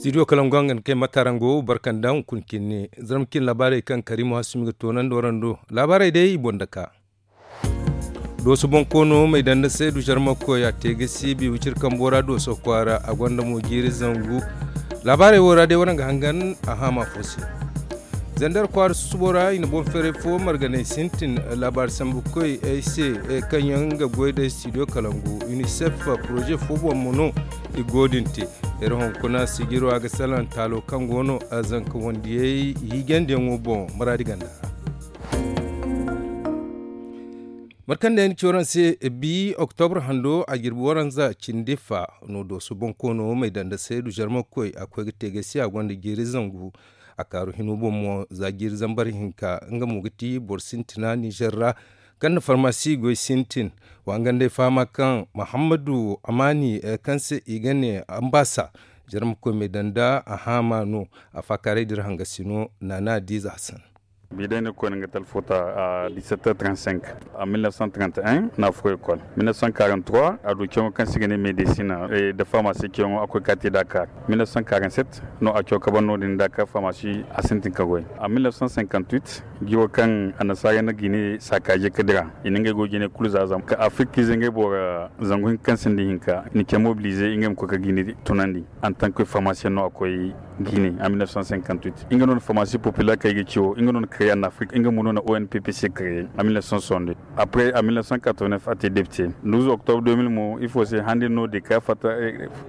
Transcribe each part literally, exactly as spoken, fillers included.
Studio kalangu hangan kay matarango barkanda hunkuna kinne zarma kin laabaarey kaŋ karimu hasumi ga toonandi warando laabaarey day i boŋ daka. Dooso bonkoono may danda seedu zarma koy a te ga siibi wicir kambo ra dooso kwaara a gonda mo jiiri zangu. Laabaarey wo ra day waraŋ ga hangan a haama fo se. Zandar kwaara susubo ra i na boŋ feeray fo marganay sintin laabaari sambu koy ay se kaŋ yaŋ ga goy da studio kalangu unicef poroze fo boŋ mo no. I go din te iri hunkuna sijiro a ga salaŋ taalo kaŋ go no zanka wandiyey hiijandiyaŋo boŋ maraadi ganda ra. Mate kaŋ day ni ci waraŋ se bi oktobre hando a jirbi waranza cindi fa no dooso bonkoono may danda seedu zarma koy a koy ga te gay se a gonda jiiri zangu. A kaaru hino boŋ mo za jiiri zambar hinka nga mo ga ti boro sintina nizer ra kaŋ na farmasi goy sintin. Wa nga nd'ay fahama kaŋ muhammadu amaani kaŋ se i ga ne ambasa jarma koy me danda a haama no. A faakaaray dira hangasino naana diiza hasan. Bi day ni ga koy ni ga talfota a dix-sept heures trente-cinq. A mille neuf cent trente et un no a furo école. Mille neuf cent quarante-trois a du caŋo kaŋ se i ga ne médecine de pharmacie caŋo a koy ka te dakar. Mille neuf cent quarante-sept no a caw ka ban no- din dakar pharmacie a sintin ka goy. A mille neuf cent cinquante-huit jiwo kaŋ annasaarey na gine saakaaje ka dira i na ngey goy jine kulu za zama ka afirkiize ngey boro zangu hinka kaŋ sinda hinka i na ce mobilize ngey ma koy ka gine tunandi. Antanke farmasiyaŋ no a koy gine a mille neuf cent cinquante-huit nga no na farmasi populaire kaŋ i ga ci wo nga no na kare an afirka nga mo no na onpp kare a mille neuf cent soixante-deux. Après a mille neuf cent quatre-vingt-neuf a te depite douze octobre deux mille mo ifo se handi no de ka fatta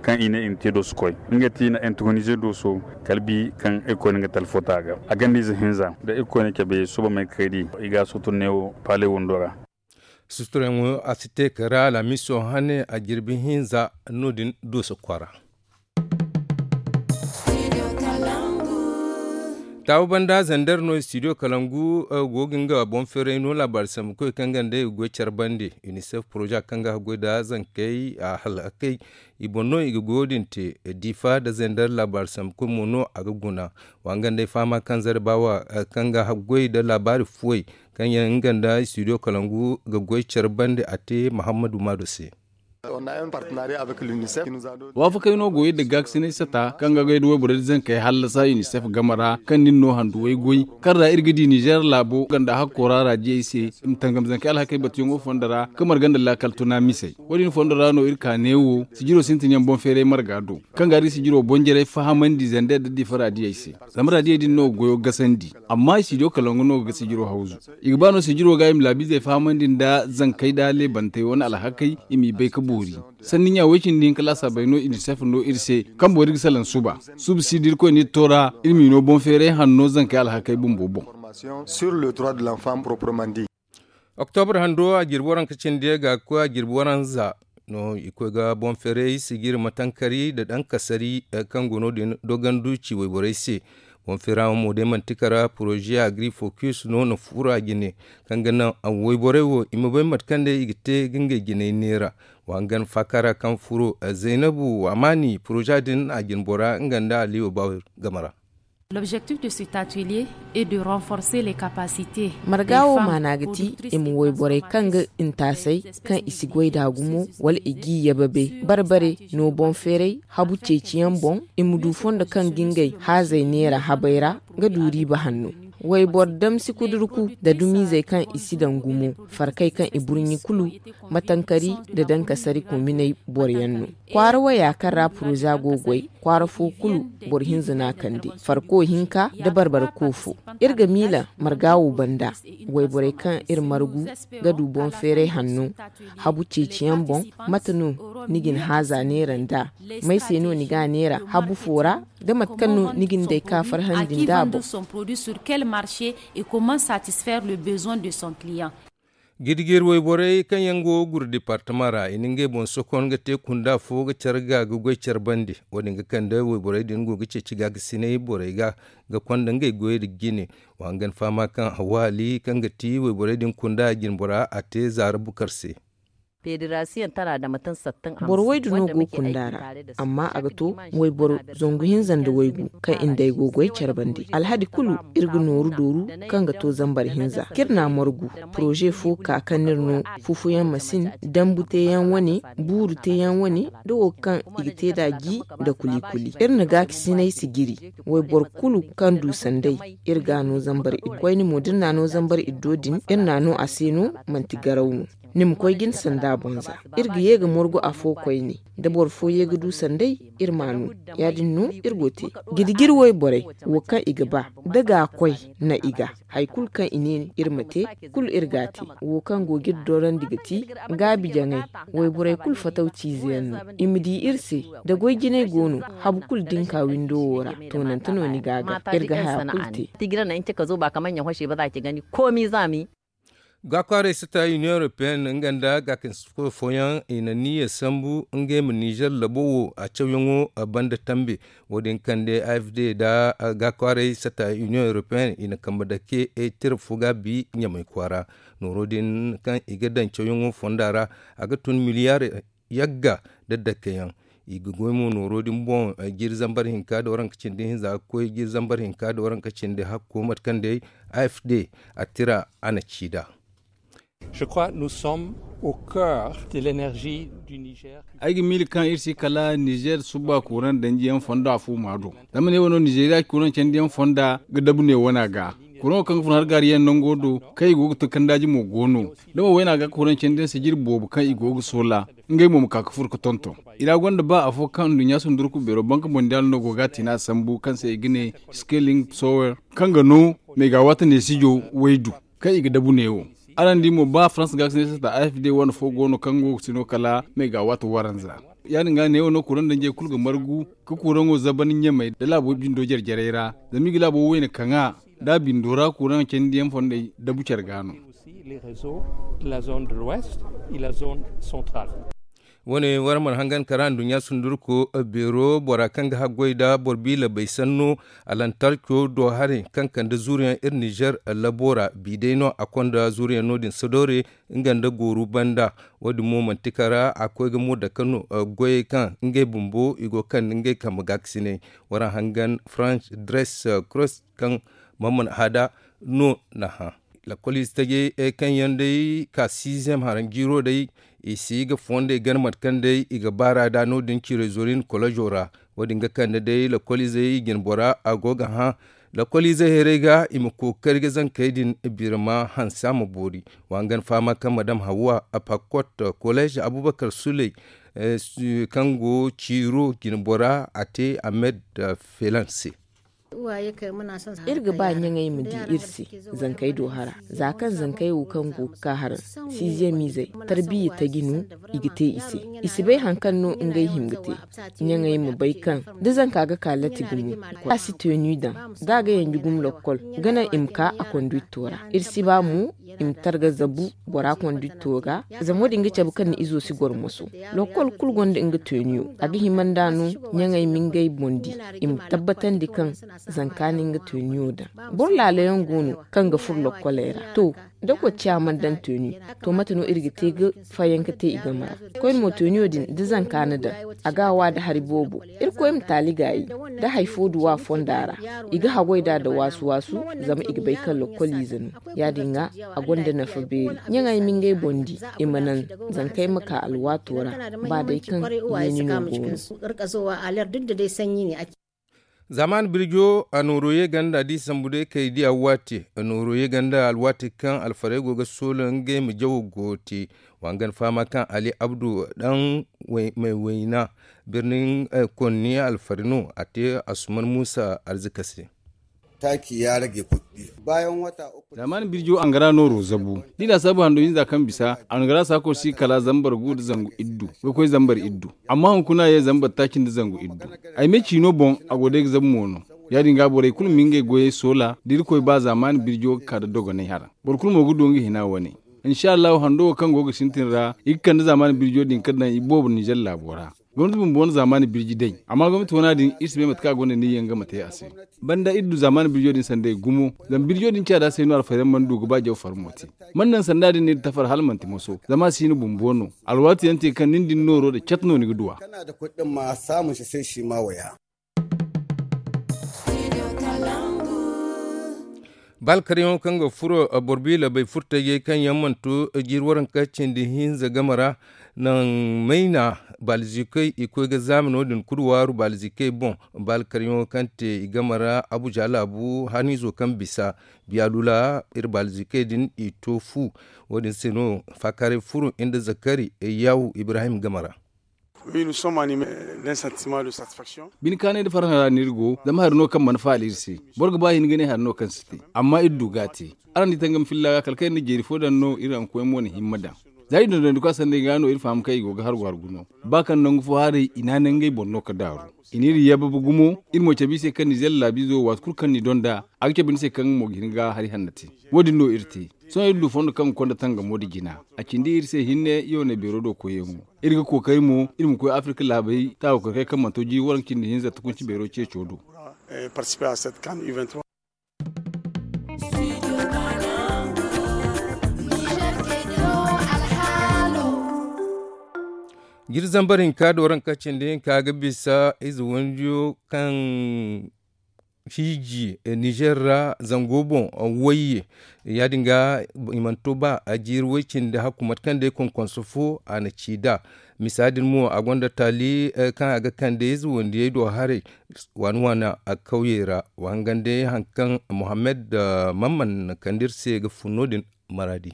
kaŋ i ne i na te dooso koy nga ti i na intronize dooso. Kala bi kaŋ irkoy na nga talfota ga a ganda ize hinza da irkoy na cabe suba may kredi i ga a sutur neewo paale wando ra. Suturyaŋo a si te kala alhamiso hane a jirbi hinza no- din dooso kwaara. Taawa banda zandar no studio kalangu go ga nga boŋ feeray no laabaari sambu koy kaŋ ganda i ga goy care bande unicef poroza kaŋ ga haggoy nda zankey a halakey. I boŋ no i ga goyo din te diifa nda zandar laabaari sambu koy mo no a ga guna. Wa nga nda ay fahama kaŋ zare baawa kaŋ ga haggoy nda laabaari fuwey kaŋ yaŋ nga nda studio kalangu ga goy care bande a te muhammadu maado se. Waafakey no go iri nda gaakasinay sata kaŋ ga goy nda wayborey nda zankey hallasa unicef game ra kaŋ nin no handuwey goy kaŋ ra iri ga di nizer laabo ganda hakko ra raadiyey se i ma tangam zankey alhakey batuyaŋo fondo ra ka marga nda laakal tuna misey. Wo- din fondo ra no iri ka neewo sijiro sintinyaŋ boŋ feeray marga do kaŋ ga iri sijiro boŋ jarey fahamandi zander nda difa raadiyey se. Zama raadiyey din no ga goyo gasandi amma i si diyo kala nga no ga ga sijiro hawzu. I ga ba no sijiro ga i ma laabiizey fahamandi nda zankey nda leebantey wane alhakey i m'i bay ga boori. Sanni ɲa way-cindi hinka laasaabey no unicef no iri se kaŋ boori ga salaŋ suba. Suba si da irkoy n'iri to ra iri m'i no boŋ feeray hanno zankey alhakey bumbo boŋ. Oktobre hando a jirbi waranka cindi ga ga koy a jirbi waranza no i koy ga boŋ feeray sijiri matankari nda dankasari kaŋ go no- din dogandu ci wayborey se. Boŋ feera mo day manti kara poroze agri focus no na furo a jine kaŋ ga naŋ wayborey wo i ma bay mate kaŋ day i ga te ga ngey jinay neera. Wa hangan faaka ra kaŋ furo zaynabu amaani poroze din a jine bora nga nda aliyo bawir game ra. L'objectif de cet atelier est de renforcer les capacités. Marga wo maana ga ti i ma wayborey kaŋ ga intaasay kaŋ i si goy da gumo wala i g'i yababe barbare no boŋ feeray habu ceeciyaŋ boŋ i ma du fondo kaŋ ga ngey haazey neera habey ra ga du riiba hanno. Wayboro damsi kudurku nda dumiizey kaŋ i si daŋ gumo farkay kaŋ i burɲi kulu matankari nda dankasari kominey boroyaŋ no. Kwaara waya kaŋ ra poroza go goy kwaara fo kulu boro hinza no a kande farko hinka nda barbara ko fo. Iri ga miila marga wo banda wayborey kaŋ iri margu ga du boŋ feeray hanno habu ceeciyaŋ boŋ mate no ni ga ni haaza neera nd'a may se no ni ga a neera habu fo ra nda mate kaŋ no ni ga ni day ka farhandi nd'a boŋ. Gidi-giri wayborey kaŋ yaŋ go guru departama ra i na ngey boŋ sokon ga te kunda fo ga care ga ga goy care bande wo- din ga kande wayborey din go ga ceeci gaakasinay borey ga ga konda ngey goyey nda jine. Wa hangan fahama kaŋ hawaali kaŋ ga ti wayborey din kunda jinbora a te zaara bukar se. Boro waydu no go kunda ra, amma a ga to wayboro zangu hinza nda waygu kaŋ i nda ay go goy care bande. Alhadi kulu iri ga nooru dooru kaŋ ga to zambar hinza kaŋ iri n'a margu. Poroze fo ka kaŋ no iri no fufuyaŋ masin, dambu teeyaŋ wane, buuru teeyaŋ wane, da wo kaŋ i ga te nd'a ji nda kuli-kuli. Iri na gaakasinay si jiri. Wayboro kulu kaŋ du sanday, iri g'a no zambar iddo. Koyne mo da iri n'a no zambar iddo din, iri n'a no a se no, manti garaw no. Ni ma koy ga ni sanda boŋ za. Iri ga ye ga morgu afo koyne. Da boro fo ye ga du sanday, iri m'a no. Ya-din no iri go te. Jirjir wayborey, wo kaŋ i ga ba, da ga koy na i ga. Hari kulu kaŋ i ne iri ma te, kulu iri g'a te. Wo kaŋ go ga iri dorandi ga ti gaabi jaŋay. Wayborey kulu fatawciize yaŋ no. I ma di iri se, da goy jinay go no, habu kulu da ni ka windo wo ra, toonante no ni ga a gar. Iri ga haya kulu te. Gaakwaarey sata Union Européenne nga nda gaakasinay fooyaŋ i na niyya sambu ngey ma Nizer labo wo a cawyaŋo banda tambe. Wo-din kande A F D nda gaakwaarey sata Union Européenne i na kambe dake tira fo gaabi Ɲamay kwaara. Nooro din kaŋ i ga daŋ cawyaŋo fonda ra, a ga tun miliyar yagga nda dakkeyaŋ. I ga goy mo nooro din boŋ, jiri zambar hinka nda waranka cindi hinza ga koy jiri zambar hinka nda waranka cindi hakko mate kaŋ day A F D a tira a na ci nd'a. Je crois nous sommes au cœur de l'énergie du Niger. Ay ga miila kaŋ iri si kala Nizer suba kuran danjiyaŋ fonda fo ma do. Zama ne wano Nizeriya kuran candiyaŋ fonda ga dabu ne wana ga. Kuran kaŋ ga fun har gaariyaŋ nango do kaŋ i go ga to kandaaji mo go no. Da mo wayna ga kuran candiyaŋ sijiri boobo kaŋ i go ga soola, ngey mo ma ka ga furo ga tonton. I ra gonda ba afo kaŋ nduɲɲa sundurku beero banka mondial no go ga a tiina sambu kaŋ se i ga ne scaling sower, kaŋ ga no megawatt neesijo waydu kaŋ i ga dabu neewo. Araŋ di mo ba farans ga ga si ne sata A F D wane fo go no kaŋ go ga si no kala megawatt waranza. Ya- din ga neewo no kuraŋ danjey kulu ga margu ka kuraŋo zaban ɲamey nda laabo bindo jare-jarey ra. Zama i ga laabo wayna kaŋ a da a bindo ra kuraŋ candiyaŋ fondey dabu care ga no. Aussi les réseaux de la zone de l'ouest et la zone centrale. Wane wara mana hangan kara nduɲɲa sundurko beero bora kaŋ ga haggoy nda boro biila bay sanno alantarco do haray kaŋ kande zuuriyaŋ iri nizer labo ra bi day no a konda zuuriyaŋ no- din sodoore nga nda gooru banda. Wo- din mo manti kara a koy ga mo dake no goyey kaŋ ngey bumbo i go ga kande ngey kambe gaakasinay. Wara hangan franc dress cross kaŋ mamman hada no na hã. Lakoliize tajey kaŋ yaŋ day ka siizem haranjiiro day i si ga fondey gana mate kaŋ day i ga baar'a nd'a no- din ciiray zorin kolozo ra. Wo- din ga kande day lakoliizey jinbora a go ga hã lakoliizey hayrey ga i ma kookari ga zankey din birma hanse a ma boori. Wa hangan fahama kaŋ madam hawwa a pakkot koleez abubakar suley kaŋ go ciiro jinbora a te ahmed felan se. Iri ga ba ɲaŋey ma di iri se zankey do hara za kaŋ zankey wo kaŋ go ga ka haraŋ siiziyamiizey tarbiyya taji no i ga te i se. I si bay hari kaŋ no ngey hima ga te. Ɲaŋey ma bay kaŋ da zanka ga ka latti gumo a si teenu daŋ da a ga yanji gumo lokkol ga naŋ i ma ka a konduwitto ra. Iri si ba mo i ma targa zabu bora konduwitto ga. Zama wo- din ga cabe kaŋ ni izo si goro moso. Lokkol kulu gonda nga teeniyo a ga hima nd'a no. Ɲaŋey ma ngey boŋ di i ma tabbatandi kaŋ zanka na nga teeniyo daŋ. Boro laalayaŋ go no kaŋ ga furo lokkoley ra to da kocciya mana daŋ teeni to mate no iri ga te ga fayanka te i game ra. Koyne mo teeniyo din da zanka na daŋ a ga a wa nda hari boobo. Irkoy ma taali gaayi da hari fo duwa fonda ra. I ga haggoy nd'a nda waasu-waasu zama i ga bay kaŋ lokkoliize no. Ya- din ga a gonda nafa beeri. Ɲaŋey ma ngey boŋ di i ma naŋ zankey ma ka alwaato ra ba day kaŋ yeeni no go no. Zaamaani birjo a nooro ye ganda da i sambu day kay diya waate. Nooro ye ganda alwaati kaŋ alfarey go ga soola ngey ma jawo go te. Wa hangan fahama kaŋ ali abdu daŋ may wayna birnin konni alfari no a te asuman muusa arzika se. Taaki ya rage kuɗɗi bayan wata uku. Zaamaani birjo angara nooro zabu da i laasaabu hando hinza kaŋ bisa angara saako si kala zambar gu nda zangu iddu ga koy zambar iddu. Amma hunkuna ye zambar taaci nda zangu iddu. Ay me ciino boŋ a go day ga zabu mo no. Ya- din ga borey kulu ma ngey goyey soola da irkoy ba zaamaani birjo ga ka nda dogonay hara. Boro kulu mo ga du nga hina wane. Insa allahu hando wo kaŋ go ga sintin ra i ga kande zaamaani birjo din ga daŋ i boobo ninzer laabo ra. Gomnati bumbo wane zaamaani birji day, amma gomnati wana din iri si bay mate kaŋ a gonda niyya nga ma te a se. Banda iri du zaamaani birjo din sanday gumo, zama birjo din caada se no alfayaŋ mana du ga ba jaw farmo te. Mana naŋ sanda din no iri tafar hala manti moso, zama a si no bumbo no. Alwaati yaŋ te kaŋ nin din nooro da cat no ni ga du a. Ba alkaryaŋo kaŋ ga furo borbi labay furtajey kaŋ yaŋ mana to jiiri waranka cindi hinza game ra, naŋ mayna baalzikey i koy ga zaamano din kulu waaru baalzikey boŋ. Ba alkaryaŋo kaŋ te i game ra abuja laabu haniizo kaŋ bisa biyaalula iri baalzikey din i to fu. Wo- din se no faakaaray furo nda zakari yaawu ibrahim game ra. Bine kaanay nda farhã ra no iri go, zama hari no kaŋ mana faala iri se. Boro ga ba hin ga ne hari no kaŋ si te, amma iri du ga a te. Araŋ di tangam filla ga kala kaŋ iri na jeeri fo daŋ no iri rankoyaŋ mo na himma daŋ. Za iri dondonandi koy a sanday ga no iri faham kaŋ i go ga hargu hargu no. Ba kaŋ nangu fo haray i naanay ngey boŋ no ga daaru. I n'iri yabba gumo. Iri mo cabe i se kaŋ nizeer laabiizo waati kulu kaŋ ni donda a ga cabe ni se kaŋ nga mo ga hin ga hari hanna te. Wo- din no iri te. Sohõ iri du fondo kaŋ ga konda tangamo nda jina. A cindi iri se hinne yoone beero do koyyaŋo. Iri ga kookari mo iri ma koy afirka laabey taawakoy kaŋ mana to jiiri waranka cindi hinza takunci beero ceeco do. Jiri zambar hinka da waranka cindi hinka ga bisa ize wandiyo kaŋ hiiji nizer ra zango boŋ wayye. Ya- din ga i mana to ba a jiiri way cindi hakku mate kaŋ day konkonso fo a na ci nd'a. Misa din mo a gonda taali kaŋ a ga kande ize wandiyey do haray waani waani a kawyey ra. Wa hangan day hari kaŋ mohammed mamman na kande iri se ga fun no- din. Maradi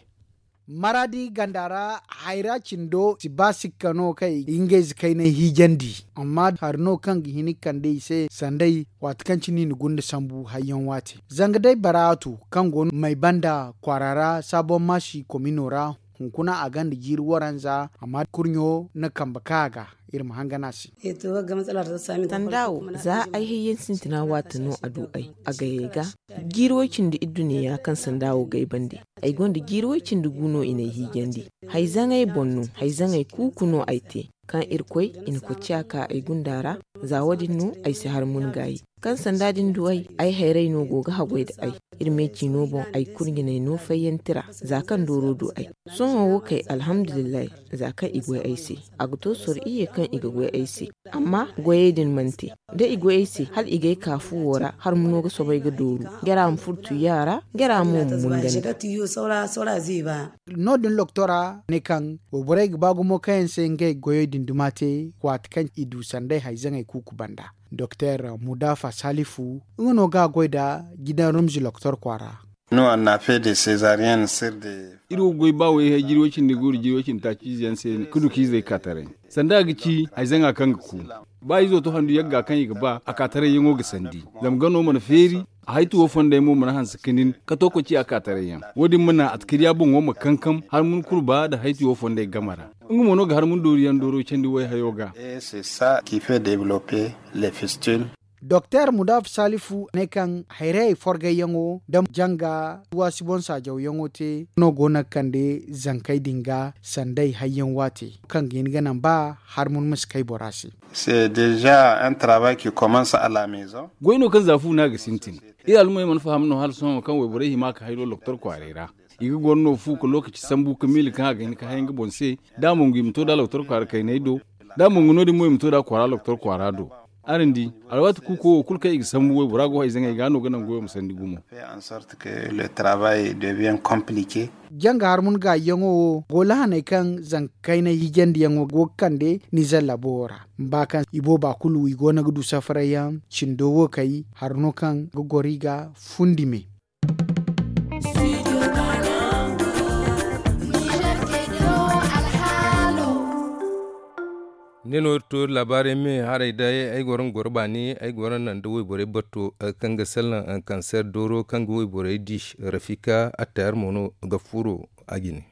maradi ganda ra hayra cindo si ba sikka no kaŋ i ga ngey ze kaynay hiijandi. Amma hari no kaŋ ga hin ga kande i se sanday waati kaŋ cine i na gunda sambu hayyaŋ waate. Zanga day baraatu kaŋ go no may banda kwaara ra saabon maasi komino ra. Hunkuna a gonda jiiri waranza amma kurɲo na kambe ka a ga. Iri ma hangan a se. Sanda wo za ay hayyaŋ sintina waati no a du ay a gayey ga. Jiiri way cindi idduniya kaŋ sanda wo gay bande ay gonda jiiri way cindi gu no i n'ay hiijandi. Hayzaŋey boŋ no hayzaŋey kuuku no ay te kaŋ irkoy i na kocciya ka ay gunda ra. Za wo- din no ay si har mun gaayi kaŋ sanda din du ay ay hayray no go ga haggoy nda ay. Iri me ciino boŋ ay kurɲinay no fayyanti ra za kaŋ dooro du ay. Sohõ wo kay alhamdulillahi. Za kaŋ i goy ay se a ga to soro iyye kaŋ i ga goy ay se. Amma goyey din mana te da i goy ay se hala i g'ay ka fuwo ra har muno ga soobay ga dooru. Gera ma furtu yaara gera mo ma mungandi. No- din loktora ne kaŋ wayborey ga ba gumo kaŋ yaŋ se ngey goyey din duma te waati kaŋ i du sanday hayzaŋey kuuku banda. Doktor mudafa salifu nga no ga a goy nda gidan rumzi loktor kwaara. Iri wo ga goy ba wayhay jiri way cindi guuru jiri way cindi taaci ize yaŋ se ga du ka izey ka taray. Sanda a ga ci hayzaŋa kaŋ ga ku ba izo to handu yagga kaŋ i ga ba a ka tarayyaŋo ga sandi. Zama gano mana feeri. Haytu wo fondey mo mana hanse ka nin ka to koy ci a ka tarayyaŋ. Wo- din mana atkariya boŋo ma kankam har mun kurba nda haytu wo fondey game ra. Nga mo no ga har mun dooriyaŋ dooro candi wayhayo ga. Doktor mudaf salifu ne kaŋ hayrayey forgayyaŋo nda janga waasi boŋ saajawyaŋo te no go no ga kande zankey din ga sanday hayyaŋ waate kaŋ ga hin ga naŋ ba har mun ma si kay bora se. Goy no kaŋ za fu no a ga sintin. Iri alumey mana faham no hala sohõ kaŋ wayborey hima ka hayro loktor kwaaray ra. I ga goro no fu ka lokaci sambu ka miila kaŋ a ga hin ka hay nga boŋ se. Da a mongu i ma to da loktor kwaara kayney do da a mongu no- din mo i ma to da kwaara loktor kwaara do. Araŋ di alwaati kuuko wo kulu kaŋ i ga sambu waybora go hayzaŋey ga no ga naŋ goyo ma sandi gumo. Janga har mun gaayyaŋo wo go lahaney kaŋ zanka kaynay hiijandiyaŋo go ga kande nizer labo wo ra. Ba kaŋ i booba kulu i go no ga du safarayyaŋ cindo wo kay hari no kaŋ ga goro i ga fundi me. Ne no iri to iri laabaarey me haray day ay goro nga goro baani ay goro naŋ da wayborey batto kaŋ ga sallaŋ kanseer dooro kaŋ ga wayborey di. Rafika attayar mo no ga furo a jine.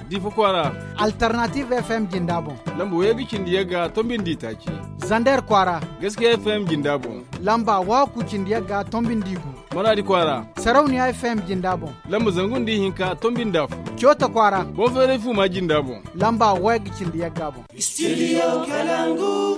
Diifa kwaara. Alternative fm jinda boŋ. Lamba wayey ga cindi yagga tombi nda itaaci. Zander kwaara. Gaskiya F M jinda boŋ. Lamba waaku cindi yagga tombi nda igu. Maradi kwaara. Sarauniya F M jinda boŋ. Lamba zangu nda ihinka tombi nda afo. Coota kwaara. Boŋ feeray fuuma jinda boŋ. Lamba wayagga cindi yagga boŋ. Studio Kalangu.